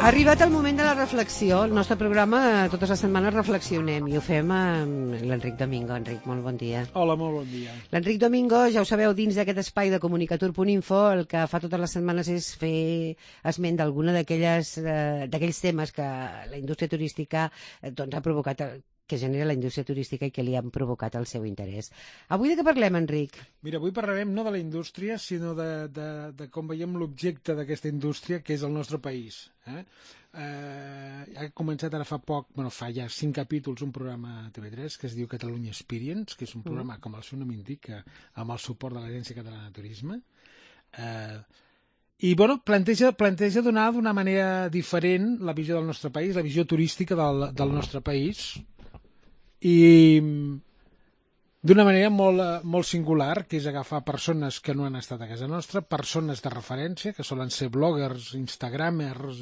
Ha arribat el moment de la reflexió. El nostre programa totes les setmanes reflexionem i ho fem amb l'Enric Domingo. Enric, molt bon dia. Hola, molt bon dia. L'Enric Domingo, ja ho sabeu, dins d'aquest espai de comunicatur.info, el que fa totes les setmanes és fer esment d'alguna d'aquells temes que la indústria turística ha provocat, que genera la indústria turística i que li han provocat el seu interès. Avui de què parlem, Enric? Mira, avui parlarem no de la indústria, sinó de com veiem l'objecte d'aquesta indústria, que és el nostre país. Ha començat ara fa ja 5 capítols, un programa a TV3 que es diu Catalunya Experience, que és un programa, com el seu nom indica, amb el suport de l'Agència Catalana de Turisme. I planteja donar d'una manera diferent la visió del nostre país, la visió turística del nostre país, i d'una manera molt singular, que és agafar persones que no han estat a casa nostra, persones de referència, que solen ser bloggers, instagramers,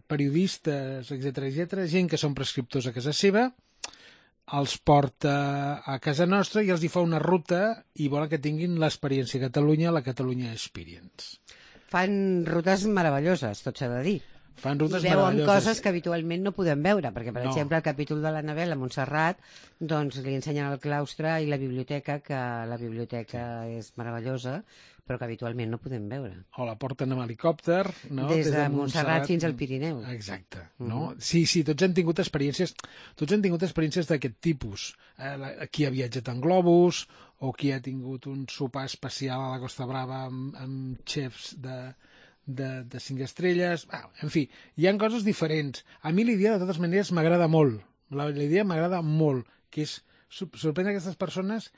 periodistes, etc., gent que són prescriptors a casa seva, els porta a casa nostra i els hi fa una ruta i volen que tinguin l'experiència a Catalunya, la Catalunya Experience. Fan rutes meravelloses, tot s'ha de dir. Fan rutes veuen coses que habitualment no podem veure, perquè, per exemple, el capítol de l'Anabel a Montserrat, doncs li ensenyen el claustre i la biblioteca, que la biblioteca és meravellosa, però que habitualment no podem veure. O la porten amb helicòpter, no? Des de Montserrat fins al Pirineu. Exacte. No? Sí, tots han tingut experiències d'aquest tipus. Qui ha viatjat en globus, o qui ha tingut un sopar especial a la Costa Brava amb xefs de 5 estrelles, en fi, hi ha coses diferents. A mi l'idea, de totes maneres, m'agrada molt. L'idea m'agrada molt, que és sorprendre aquestes persones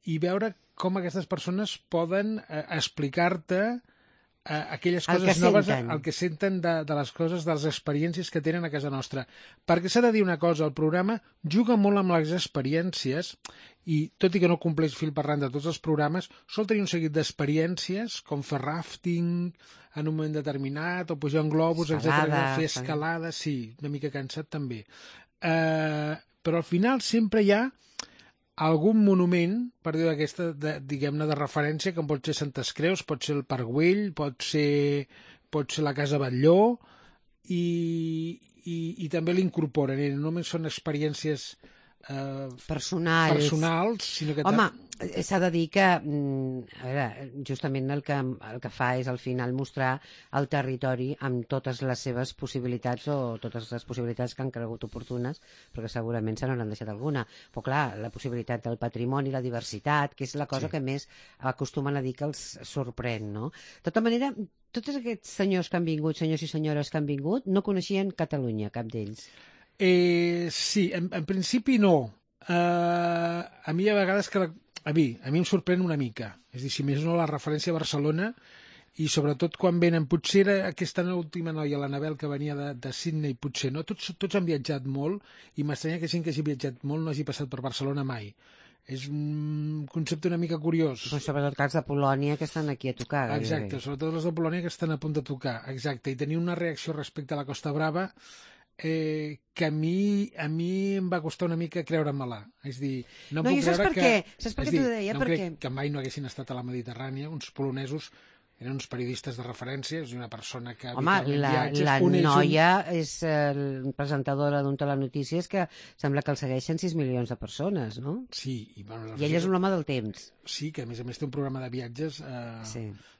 i veure com aquestes persones poden explicar-te aquelles coses noves, el que senten de les coses, de les experiències que tenen a casa nostra. Perquè s'ha de dir una cosa, el programa juga molt amb les experiències i, tot i que no compleix fil per randa de tots els programes, sol tenir un seguit d'experiències, com fer rafting en un moment determinat, o pujar en globus, fer escalada, sí, una mica cansat també. Però al final sempre hi ha algun monument, per dir d'aquesta, diguem-ne, de referència, com pot ser Santes Creus, pot ser el Parc Güell, pot ser la Casa Batlló, i també l'incorporen. No només són experiències personals, sinó que... Home, s'ha de dir que, a veure, justament el que fa és al final mostrar el territori amb totes les seves possibilitats, o totes les possibilitats que han cregut oportunes, perquè segurament se n'hauran deixat alguna. Però clar, la possibilitat del patrimoni, la diversitat, que és la cosa que més acostumen a dir que els sorprèn, no? De tota manera, tots aquests senyors que han vingut, senyors i senyores que han vingut, no coneixien Catalunya, cap d'ells. Sí, en principi no. A mi a vegades a mi em sorprèn una mica. És a dir, si més no, la referència a Barcelona, i sobretot quan venen, potser era aquesta última noia, l'Anabel, que venia de Sydney, potser no, tots han viatjat molt, i m'estranya que gent que hagi viatjat molt no hagi passat per Barcelona mai. És un concepte una mica curiós. Però sobretot els de Polònia que estan aquí a tocar. Exacte, sobretot els de Polònia que estan a punt de tocar, exacte, i tenir una reacció respecte a la Costa Brava que a mi em va costar una mica creure-me-la. És dir, no puc creure que... Saps per què t'ho deia? No crec que mai no haguessin estat a la Mediterrània. Uns polonesos eren uns periodistes de referència, és una persona que... Home, la noia és presentadora d'un telenotícies que sembla que el segueixen 6 milions de persones, no? Sí. I ell és un home del temps. Sí, que a més té un programa de viatges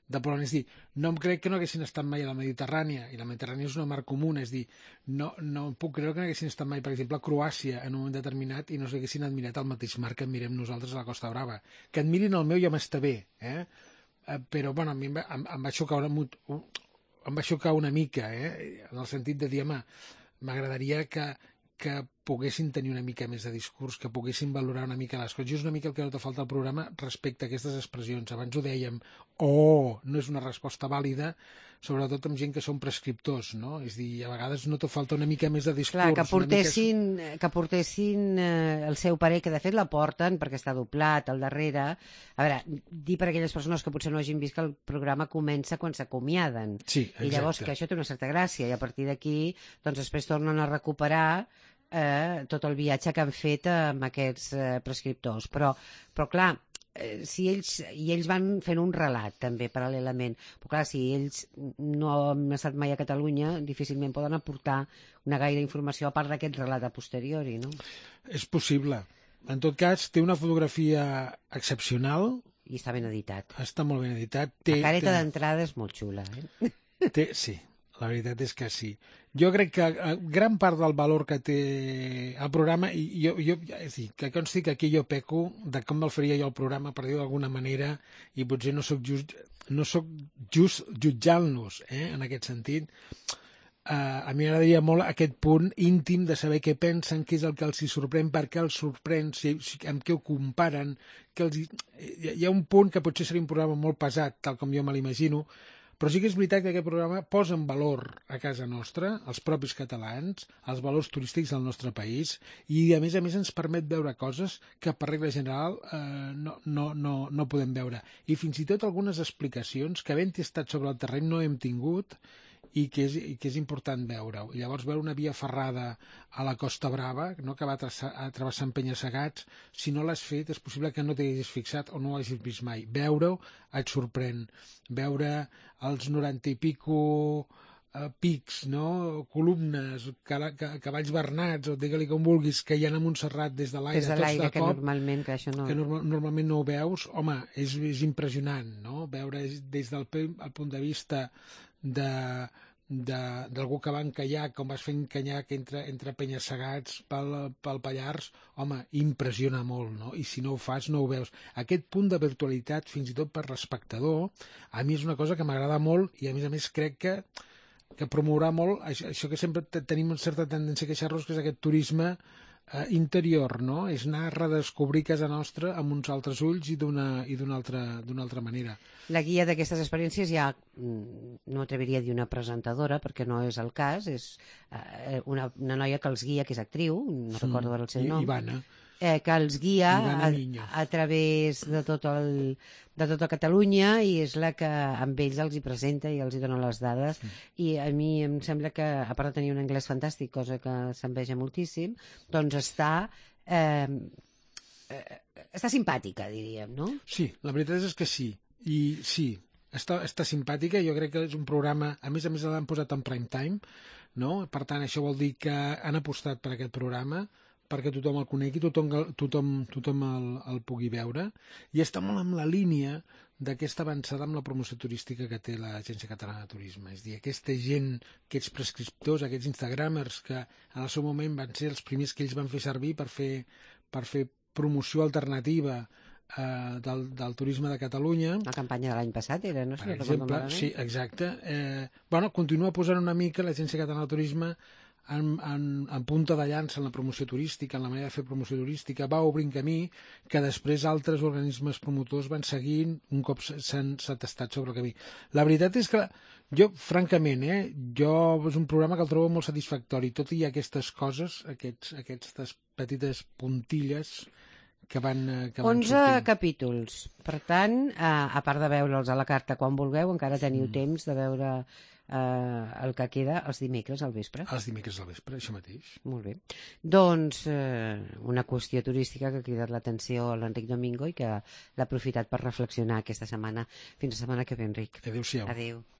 de Polònia. És dir, no em crec que no haguessin estat mai a la Mediterrània, i la Mediterrània és una mar comuna, és dir, no puc creure que no haguessin estat mai, per exemple, a Croàcia en un moment determinat i no s'haguessin admirat el mateix mar que admirem nosaltres a la Costa Brava. Que admirin el meu ja m'està bé, però bueno, a mi em va xocar una mica, en el sentit de dir, home, m'agradaria que poguessin tenir una mica més de discurs, que poguessin valorar una mica les coses. I és una mica el que nota falta al programa respecte a aquestes expressions. Abans ho dèiem, no és una resposta vàlida, sobretot amb gent que són prescriptors, no? És dir, a vegades nota falta una mica més de discurs. Clar, que portessin el seu parer, que de fet la porten perquè està doblat al darrere. A veure, dir per aquelles persones que potser no hagin vist que el programa comença quan s'acomiaden. Sí, exacte. I llavors que això té una certa gràcia, i a partir d'aquí doncs després tornen a recuperar tot el viatge que han fet amb aquests prescriptors. Però clar, si ells van fent un relat també paral·lelament, però clar, si ells no han estat mai a Catalunya difícilment poden aportar una gaire informació a part d'aquest relat a posteriori, no? És possible. En tot cas, té una fotografia excepcional. I està ben editat. Està molt ben editat. La careta d'entrada és molt xula, Sí, la veritat és que sí. Jo crec que gran part del valor que té el programa, i és dir, que consti que aquí jo peco de com me'l faria jo el programa, per dir-ho d'alguna manera, i potser no sóc just jutjant-los, en aquest sentit. A mi m'agradaria molt aquest punt íntim de saber què pensen, què és el que els hi sorprèn, per què els sorprèn, amb què ho comparen. Hi ha un punt que potser seria un programa molt pesat, tal com jo me l'imagino, però sí que és veritat que aquest programa posa en valor a casa nostra, els propis catalans, els valors turístics del nostre país, i a més ens permet veure coses que per regla general no podem veure. I fins i tot algunes explicacions que havent estat sobre el terreny no hem tingut i que és important veure-ho. I llavors veure una via ferrada a la Costa Brava, no, que va travessant penya-segats, si no l'has fet és possible que no t'hi hagis fixat o no ho hagis vist mai. Veure-ho et sorprèn. Veure els 90 i pico pics, no? Columnes, cavalls bernats, o digue-li com vulguis, que hi ha a Montserrat des de l'aire, des de l'aire, que normalment que això no... que normalment no ho veus. Home, és impressionant, no? Veure des del punt de vista d'algú que va en caiac, com vas fent caiac entre penya-segats pel Pallars, home, impressiona molt, no? I si no ho fas, no ho veus. Aquest punt de virtualitat, fins i tot per l'espectador, a mi és una cosa que m'agrada molt i, a més, crec que promourà molt això que sempre tenim una certa tendència a queixar-nos, que és aquest turisme interior, no? És anar a redescobrir casa nostra amb uns altres ulls i d'una altra manera. La guia d'aquestes experiències ja no m'atreviria a dir una presentadora, perquè no és el cas, és una noia que els guia, que és actriu, no recordo el seu nom. Ivana. Que els guia a través de tota Catalunya, i és la que amb ells els hi presenta i els hi dona les dades. I a mi em sembla que, a part de tenir un anglès fantàstic, cosa que s'enveja moltíssim, doncs està simpàtica, diríem, no? Sí, la veritat és que sí. I sí, està simpàtica. Jo crec que és un programa, a més l'han posat en prime time, no? Per tant, això vol dir que han apostat per aquest programa, perquè tothom el conegui, tothom el pugui veure, i està molt en la línia d'aquesta avançada amb la promoció turística que té l'Agència Catalana de Turisme. És a dir, aquesta gent, aquests prescriptors, aquests instagramers, que en el seu moment van ser els primers que ells van fer servir per fer promoció alternativa del turisme de Catalunya. La campanya de l'any passat era, no? Per exemple, sí, exacte. Continua posant una mica l'Agència Catalana de Turisme en punta de llança en la promoció turística, en la manera de fer promoció turística, va obrint camí que després altres organismes promotors van seguint un cop s'han tastat sobre el camí. La veritat és que jo, francament, és un programa que el trobo molt satisfactori, tot i aquestes coses, aquestes petites puntilles que van 11 sortint. capítols. Per tant, a part de veure'ls a la carta quan vulgueu, encara teniu temps de veure el que queda els dimecres al vespre. Els dimecres al vespre, això mateix. Molt bé. Doncs una qüestió turística que ha cridat l'atenció a l'Enric Domingo i que l'ha aprofitat per reflexionar aquesta setmana. Fins la setmana que ve, Enric. Adéu-siau. Adéu.